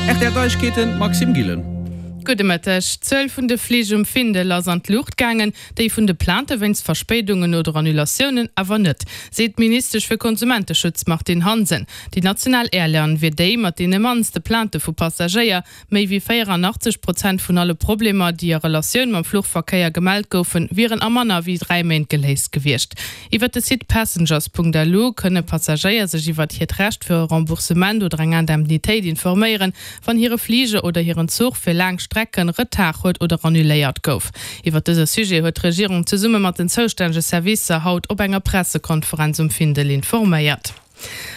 Rtl Neiegkeeten, Maxime Gillen. Gudde Mëtteg. D'Zuel vun de Flich um Findel ass an d'Luucht gaangen, déi vun de Plainte wéinst Verspéidungen oder Annulatiounen awer net, seet d'Ministesch fir Konsumenteschutz Martine Hansen. Déi national Airline wier déi mat deene mannste Plainte vu Passagéier. Méi wéi 84 Prozent vun alle Problemer, déi a Relatioun mam Fluchverkéier gemellt goufen, wieren a manner wéi 3 Méint geléist gewiescht. Iwwer de Site passengers.lu kënne Passagéier sech iwwert hiert Recht fir e Remboursement oder eng Indemnitéit informéieren, wann hire Fliger oder hiren Zuch fir laang Strecken Retard huet oder annuléiert gouf. Iwwer dëse Sujet huet d'Regierung zesumme mat den zoustännege Servicer haut op enger Pressekonferenz um Findel informéiert.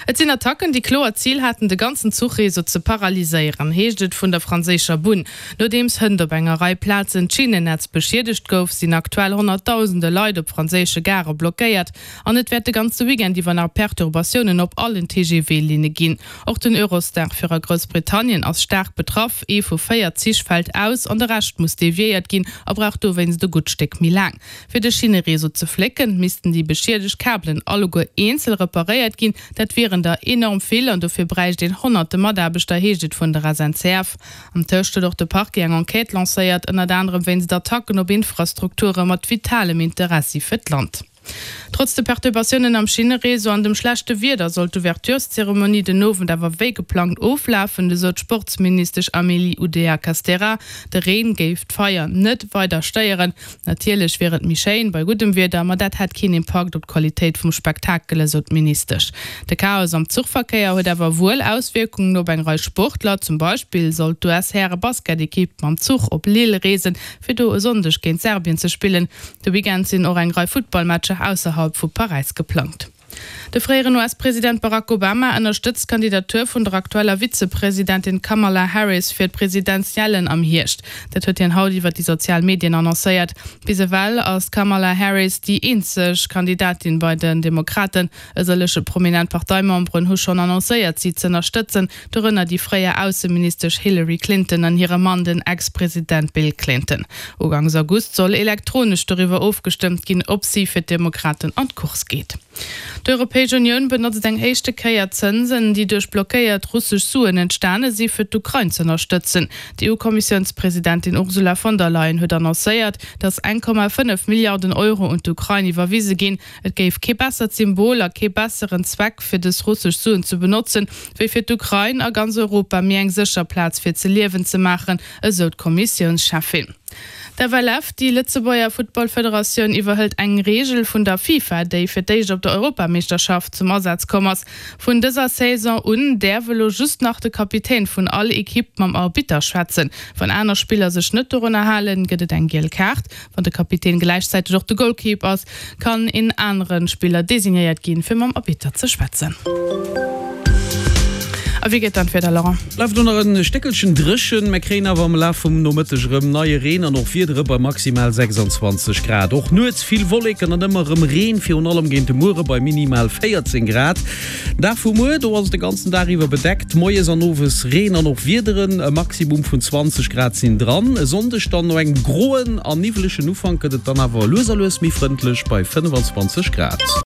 Et sinn Attacken, déi kloer d'Zil haten, de ganzen Zuchreseau ze paralyséieren, heescht et vun der franséischer Bunn. Nodeems hënt op enger Rei Plazen d'Schinnennetz beschiedegt gouf, sinn aktuell honnertdausende Leit op franséische Gare blockéiert an et wäert de ganze Weekend iwwer nach Perturbatiounen op allen TGV-Linne ginn. Och den Eurostar fir a Groussbritannien ass staark betraff, Ee vu 4 Zich fält aus an de Rescht muss deviéiert ginn a brauch dowéinst e gutt Stéck méi laang. Fir de Schinnereseau ze flécken, missten déi beschiedegt Kabelen alleguer eenzel reparéiert ginn. Dat wieren der enorm vill an dofir bräicht een honnerte Mataarbechter, heescht et vun der SNCF. Am Tëscht huet och de Parquet eng Enquête lancéiert, ënnert anerem wéinst Attacken op Infrastrukture mat vitalem Interessi fir d'Land. Trotz de Perturbatiounen am Schinnereseau an dem schlechte Wieder soll d'Ouvertureszeremonie den Owend awer wéi geplangt oflafen, esou d'Sportsministesch Amélie Oudéa-Castéra. De Reen géif d'Feier net weider stéieren. Natierlech wier et méi schéin bei guddem Wieder, ma dat hätt keen Impakt op d'Qualitéit vum Spektakel, esou d'Ministesch. De Chaos am Zuchverkéier huet awer wuel Auswierkungen op eng Rei Sportler. Zum Beispill soll d'US-Häre-Basketekipp mam Zuch op Lille reesen, fir do e Sonndeg géint Serbien ze spillen. De Weekend sinn och eng Rei Futtballmatcher ausserhalb vu Paräis geplangt. De fréieren US-President Barack Obama ënnerstëtzt d'Kandidatur vun der aktueller Vizepresidentin Kamala Harris fir d'Presidentiellen am Hierscht. Dat huet hien haut iwwer déi sozial Medien annoncéiert. Bis ewell ass d'Kamala Harris déi eenzeg Kandidatin bei den Demokraten. E sëllege prominent Parteimemberen hu schonn annoncéiert, si z'ënnerstëtzen, dorënner déi fréier Ausseministesch Hillary Clinton an hire Mann, den Ex-President Bill Clinton. Ugangs August soll elektronesch doriwwer ofgestëmmt ginn, ob si fir d'Demokraten an d'Course geet. D'Europäesch Unioun benotzt eng éischte Kéier Zënsen, déi duerch blockéiert russesch Suen entstane si fir d'Ukrain z'ënnerstëtzen. D'EU-Kommissiounspresidentin Ursula von der Leyen huet annoncéiert, datt 1,5 Milliarden Euro un d'Ukrain iwwerwise ginn. Et géif kee bessert Symbol a kee besseren Zweck fir dës russesch Suen ze benotzen, wéi fir d'Ukrain a ganz Europa méi eng sécher Plaz fir ze liewen ze maachen, esou d'Kommissiounscheffin. D'FLF, déi Lëtzebuerger Futtballfederatioun, iwwerhëlt eng Reegel vun der FIFA, déi fir d'éischt op der Europameeschterschaft zum Asaz komm ass. Vun dëser Saison un däerf elo just nach de Kapitän vun all Ekipp mam Arbitter schwätzen. Wann aner Spiller sech net dorunner halen, gëtt et eng giel Kaart. Wann de Kapitän gläichzäiteg och de Goalkeep ass, kann een anere Spiller designéiert ginn, fir mam Arbitter ze schwätzen. A wéi geet dann d'Wieder, Laurent? Bleift elo nach en Stéckelchen dréchen, mä kréien awer am Laf vum Nomëtteg erëm neie Reen an och Wiedere bei maximal 26 Grad. Och nuets vill Wolleken an ëmmer erëm Reen, virun allem géint de Muere bei minimal 14 Grad. Dag vu muer, do ass et de ganzen Dag iwwer bedeckt, moies an owes Reen an och Wiederen, e Maximum vun 20 Grad sinn dran. E Sonndeg dann no engem groen a niwwelegen Ufank gëtt et dann awer lues a lues méi frëndlech bei 25 Grad.